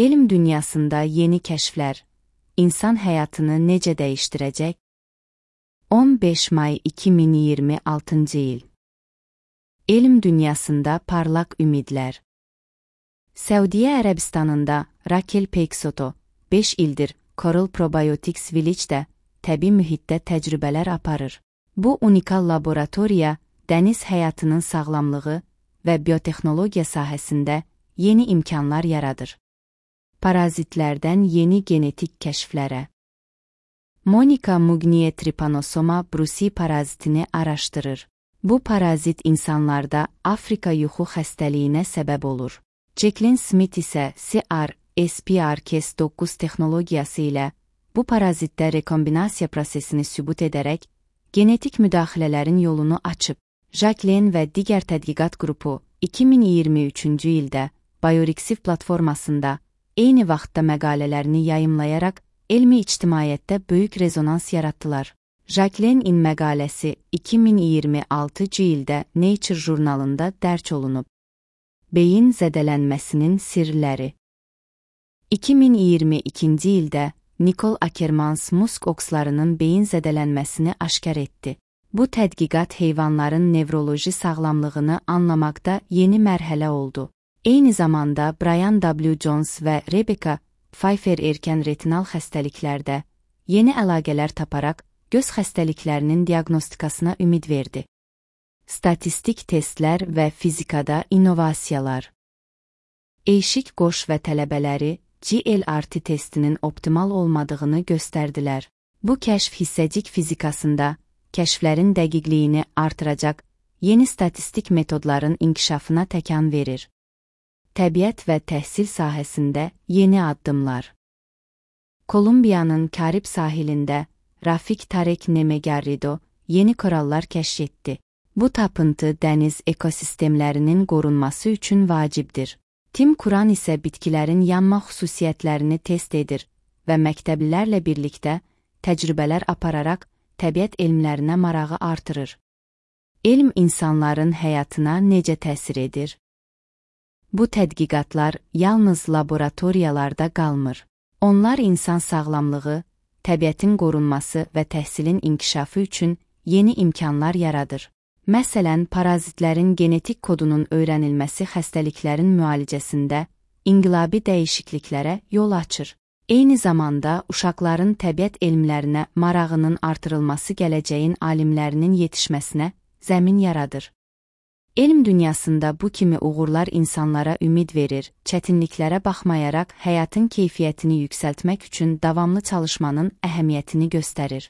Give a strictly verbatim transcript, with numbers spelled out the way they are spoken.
Elm dünyasında yeni kəşflər, insan həyatını necə dəyişdirəcək? on beş may iki min iyirmi altıncı il. Elm dünyasında parlaq ümidlər. Səudiyyə Ərəbistanında Raquel Peixoto beş ildir Coral Probiotics Village'də təbii mühitdə təcrübələr aparır. Bu unikal laboratoriya dəniz həyatının sağlamlığı və biotexnologiya sahəsində yeni imkanlar yaradır. Parazitlərdən yeni genetik kəşflərə. Monika Mugnier Trypanosoma brucei parazitini araşdırır. Bu parazit insanlarda Afrika yuxu xəstəliyinə səbəb olur. Jacqueline Smith isə C R S P R Cas doqquz texnologiyası ilə bu parazitdə rekombinasiya prosesini sübut edərək genetik müdaxilələrin yolunu açıb. Jacqueline və digər tədqiqat qrupu iki min iyirmi üçüncü ildə Biorxiv platformasında eyni vaxtda məqalələrini yayımlayaraq elmi ictimaiyyətdə böyük rezonans yaratdılar. Jacqueline-in məqaləsi iki min iyirmi altıncı ildə Nature jurnalında dərc olunub. Beyin zədələnməsinin sirləri. iki min iyirmi ikinci ildə Nicole Ackermans musk okslarının beyin zədələnməsini aşkar etdi. Bu tədqiqat heyvanların nevroloji sağlamlığını anlamaqda yeni mərhələ oldu. Eyni zamanda Brian W. Jones və Rebecca Pfeiffer erkən retinal xəstəliklərdə yeni əlaqələr taparaq göz xəstəliklərinin diaqnostikasına ümid verdi. Statistik testlər və fizikada innovasiyalar. Eşik qoş və tələbələri G L R T testinin optimal olmadığını göstərdilər. Bu kəşf hissəcik fizikasında kəşflərin dəqiqliyini artıracaq yeni statistik metodların inkişafına təkan verir. Təbiət və təhsil sahəsində yeni addımlar. Kolumbiyanın Karib sahilində Rafik Tarek Nemegarrido yeni korallar kəşf etdi. Bu tapıntı dəniz ekosistemlərinin qorunması üçün vacibdir. Tim Kuran isə bitkilərin yanma xüsusiyyətlərini test edir və məktəblilərlə birlikdə təcrübələr apararaq təbiət elmlərinə marağı artırır. Elm insanların həyatına necə təsir edir? Bu tədqiqatlar yalnız laboratoriyalarda qalmır. Onlar insan sağlamlığı, təbiətin qorunması və təhsilin inkişafı üçün yeni imkanlar yaradır. Məsələn, parazitlərin genetik kodunun öyrənilməsi xəstəliklərin müalicəsində inqilabi dəyişikliklərə yol açır. Eyni zamanda uşaqların təbiət elmlərinə marağının artırılması gələcəyin alimlərinin yetişməsinə zəmin yaradır. Elm dünyasında bu kimi uğurlar insanlara ümid verir, çətinliklərə baxmayaraq həyatın keyfiyyətini yüksəltmək üçün davamlı çalışmanın əhəmiyyətini göstərir.